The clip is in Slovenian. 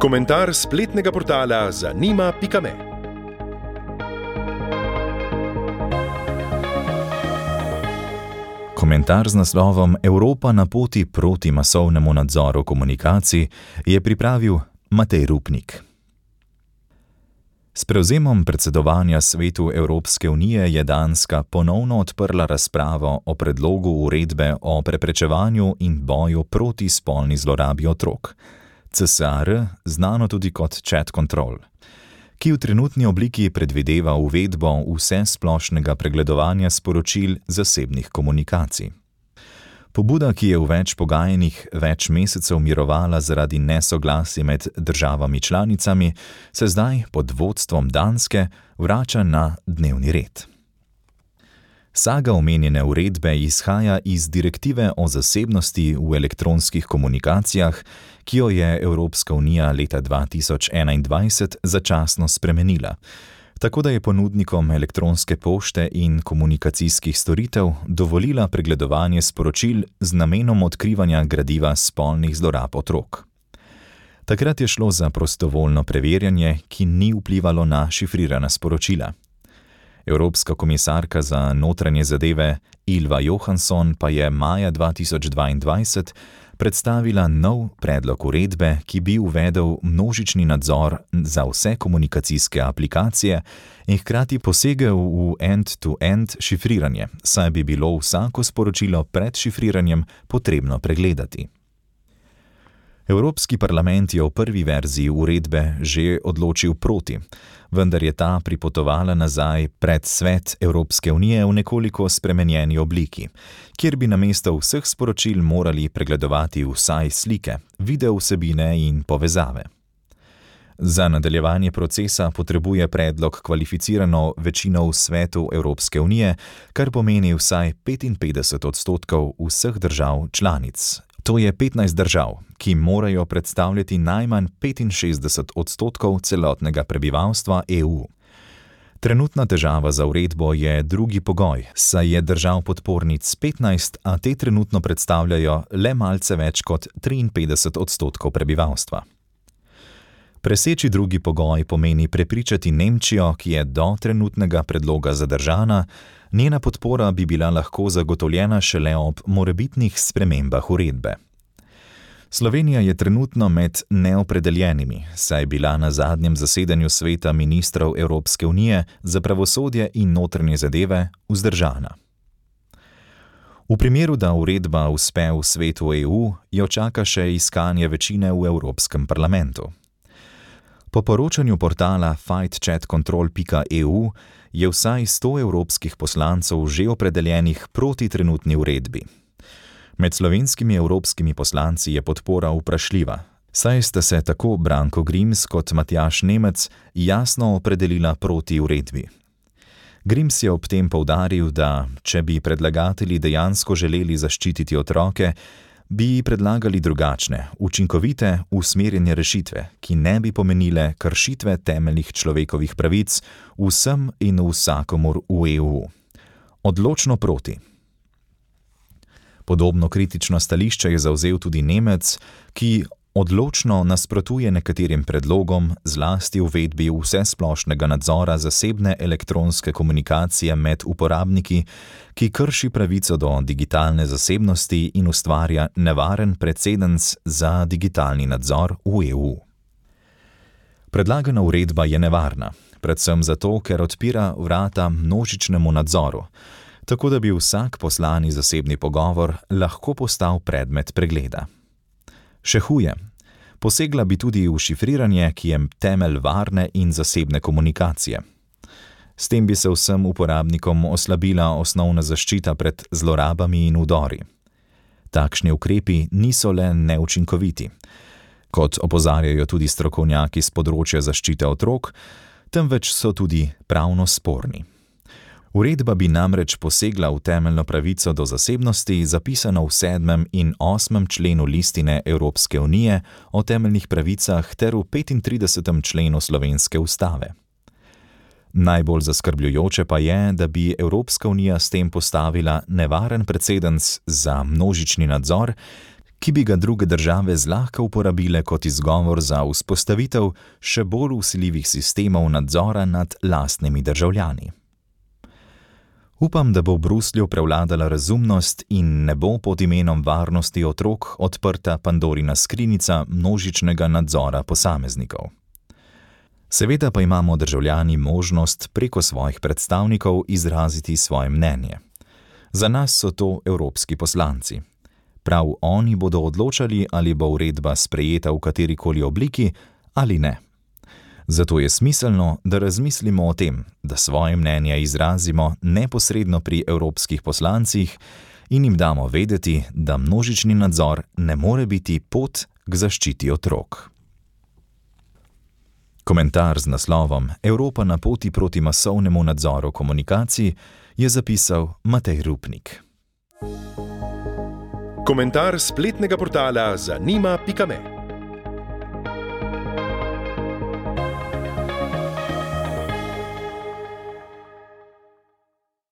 Komentar spletnega portala zanima.me. Komentar z naslovom Evropa na poti proti masovnemu nadzoru komunikacij je pripravil Matej Rupnik. S prevzemom predsedovanja Svetu Evropske unije je Danska ponovno odprla razpravo o predlogu uredbe o preprečevanju in boju proti spolni zlorabi otrok, CSR, znano tudi kot Chat Control, ki v trenutni obliki predvideva uvedbo vsesplošnega pregledovanja sporočil zasebnih komunikacij. Pobuda, ki je v več pogajanjih več mesecev mirovala zaradi nesoglasij med državami članicami, se zdaj pod vodstvom Danske vrača na dnevni red. Saga omenjene uredbe izhaja iz direktive o zasebnosti v elektronskih komunikacijah, ki jo je Evropska unija leta 2021 začasno spremenila, tako da je ponudnikom elektronske pošte in komunikacijskih storitev dovolila pregledovanje sporočil z namenom odkrivanja gradiva spolnih zlorab otrok. Takrat je šlo za prostovoljno preverjanje, ki ni vplivalo na šifrirana sporočila. Evropska komisarka za notranje zadeve Ylva Johansson pa je maja 2022 predstavila nov predlog uredbe, ki bi uvedel množični nadzor za vse komunikacijske aplikacije in hkrati posegel v end-to-end šifriranje, saj bi bilo vsako sporočilo pred šifriranjem potrebno pregledati. Evropski parlament je v prvi verziji uredbe že odločil proti, vendar je ta pripotovala nazaj pred Svet Evropske unije v nekoliko spremenjeni obliki, kjer bi namesto vseh sporočil morali pregledovati vsaj slike, video vsebine in povezave. Za nadaljevanje procesa potrebuje predlog kvalificirano večino v Svetu Evropske unije, kar pomeni vsaj 55% vseh držav članic. To je 15 držav, ki morajo predstavljati najmanj 65% celotnega prebivalstva EU. Trenutna težava za uredbo je drugi pogoj, saj je držav podpornic 15, a te trenutno predstavljajo le malce več kot 53% prebivalstva. Preseči drugi pogoj pomeni prepričati Nemčijo, ki je do trenutnega predloga zadržana, njena podpora bi bila lahko zagotovljena šele ob morebitnih spremembah uredbe. Slovenija je trenutno med neopredeljenimi, saj je bila na zadnjem zasedanju Sveta ministrov Evropske unije za pravosodje in notranje zadeve vzdržana. V primeru, da uredba uspe v Svetu EU, jo čaka še iskanje večine v Evropskem parlamentu. Po poročanju portala fightchatcontrol.eu je vsaj 100 evropskih poslancev že opredeljenih proti trenutni uredbi. Med slovenskimi evropskimi poslanci je podpora vprašljiva, saj sta se tako Branko Grims kot Matjaž Nemec jasno opredelila proti uredbi. Grims je ob tem poudaril, da če bi predlagatelji dejansko želeli zaščititi otroke, bi predlagali drugačne, učinkovite, usmerjene rešitve, ki ne bi pomenile kršitve temeljnih človekovih pravic vsem in vsakomur v EU. Odločno proti. Podobno kritično stališče je zavzel tudi Nemec, ki odločno nasprotuje nekaterim predlogom, zlasti uvedbi vsesplošnega nadzora zasebne elektronske komunikacije med uporabniki, ki krši pravico do digitalne zasebnosti in ustvarja nevaren precedens za digitalni nadzor v EU. Predlagana uredba je nevarna, predvsem zato, ker odpira vrata množičnemu nadzoru, tako da bi vsak poslani zasebni pogovor lahko postal predmet pregleda. Še huje, posegla bi tudi v šifriranje, ki je temelj varne in zasebne komunikacije. S tem bi se vsem uporabnikom oslabila osnovna zaščita pred zlorabami in vdori. Takšni ukrepi niso le neučinkoviti, kot opozarjajo tudi strokovnjaki s področja zaščite otrok, temveč so tudi pravno sporni. Uredba bi namreč posegla v temeljno pravico do zasebnosti, zapisano v 7. in 8. členu listine Evropske unije o temeljnih pravicah ter v 35. členu slovenske ustave. Najbolj zaskrbljujoče pa je, da bi Evropska unija s tem postavila nevaren precedens za množični nadzor, ki bi ga druge države zlahka uporabile kot izgovor za vzpostavitev še bolj vsiljivih sistemov nadzora nad lastnimi državljani. Upam, da bo v Bruslju prevladala razumnost in ne bo pod imenom varnosti otrok odprta Pandorina skrinjica množičnega nadzora posameznikov. Seveda pa imamo državljani možnost preko svojih predstavnikov izraziti svoje mnenje. Za nas so to evropski poslanci. Prav oni bodo odločali, ali bo uredba sprejeta v katerikoli obliki ali ne. Zato je smiselno, da razmislimo o tem, da svoje mnenje izrazimo neposredno pri evropskih poslancih in jim damo vedeti, da množični nadzor ne more biti pot k zaščiti otrok. Komentar z naslovom Evropa na poti proti masovnemu nadzoru komunikacij je zapisal Matej Rupnik. Komentar spletnega portala zanima.me